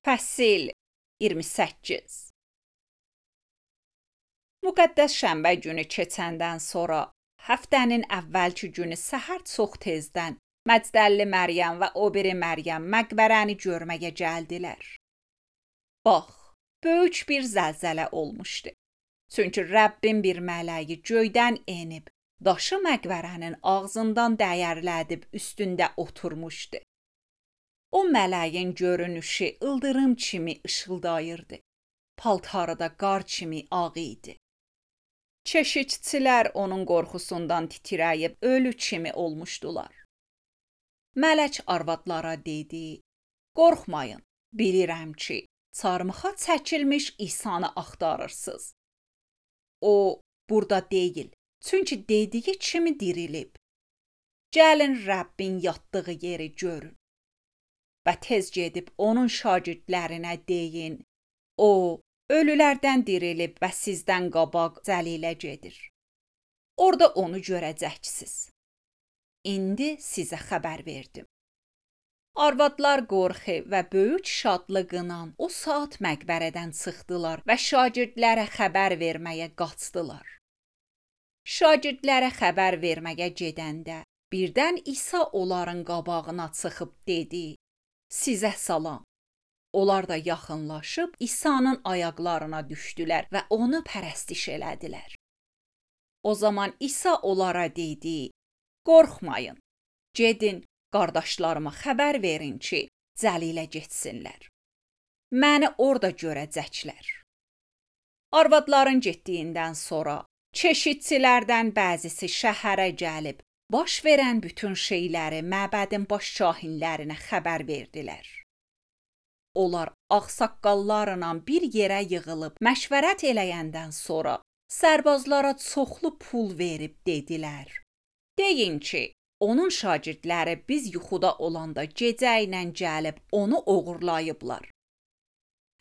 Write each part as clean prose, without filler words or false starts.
Fəsil 28. Müqəddəs şənbə günü keçəndən sonra həftənin əvvəlki günü səhər çox tezdən Məcdəlli Məryəm və o biri Məryəm məqbərəni görməyə gəldilər. Bax, böyük bir zəlzələ olmuşdu. Çünki Rəbbin bir mələyi göydən enib, daşı məqbərənin ağzından dəyərlədib üstündə oturmuşdu. O mələyin görünüşü ildırım kimi ışıldayırdı. Paltarı da qar kimi ağ idi. Keşikçilər onun qorxusundan titrəyib ölü kimi olmuşdular. Mələk arvadlara dedi: "Qorxmayın, bilirəm ki, çarmıxa çəkilmiş İsanı axtarırsınız. O burada deyil, çünki dediyi kimi dirilib. Gəlin Rəbbin yatdığı yeri görün. Və tez gedib onun şagirdlərinə deyin: O, ölülərdən dirilib və sizdən qabaq Cəlilə gedir. Orada onu görəcəksiniz. İndi sizə xəbər verdim." Arvadlar qorxu və böyük şadlıqla o saat məqbərədən çıxdılar və şagirdlərə xəbər verməyə qaçdılar. Şagirdlərə xəbər verməyə gedəndə birdən İsa onların qabağına çıxıb dedi: "Sizə salam." Onlar da yaxınlaşıb İsa'nın ayaqlarına düşdülər və onu pərəstiş elədilər. O zaman İsa onlara dedi: "Qorxmayın, gedin, qardaşlarıma xəbər verin ki, Cəlilə getsinlər. Məni orada görəcəklər." Arvadların getdiyindən sonra keşikçilərdən bəzisi şəhərə gəlib, baş verən bütün şeyləri məbədin baş kahinlərinə xəbər verdilər. Onlar ağsaqqallarla bir yerə yığılıb məşvərət eləyəndən sonra sərbazlara çoxlu pul verib dedilər: "Deyin ki, onun şagirdləri biz yuxuda olanda gecə ilə gəlib onu oğurlayıblar.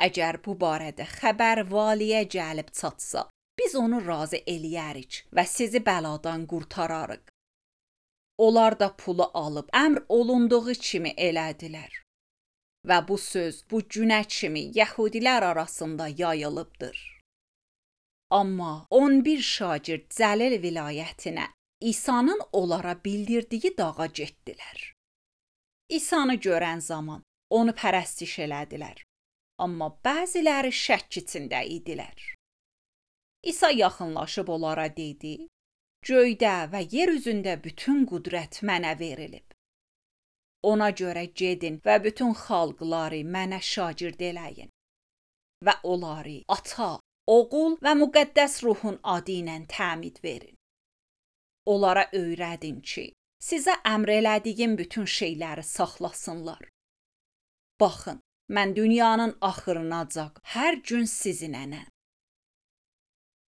Əgər bu barədə xəbər valiyə gəlib çatsa, biz onu razı eləyərik və sizi bəladan qurtararıq." Onlar da pulu alıb əmr olunduğu kimi elədilər. Və bu söz bu günə kimi yəhudilər arasında yayılıbdır. Amma 11 şagird Cəlil vilayətinə İsa'nın onlara bildirdiyi dağa getdilər. İsa'nı görən zaman onu pərəstiş elədilər. Amma bəziləri şəkk içində idilər. İsa yaxınlaşıb onlara dedi: "Göydə və yer üzündə bütün qüdrət mənə verilib. Ona görə gedin və bütün xalqları mənə şagird eləyin və onları Ata, Oğul və Müqəddəs Ruhun adı ilə təmid verin. Onlara öyrədin ki, sizə əmr elədiyim bütün şeyləri saxlasınlar. Baxın, mən dünyanın axırınacan hər gün sizinləyəm."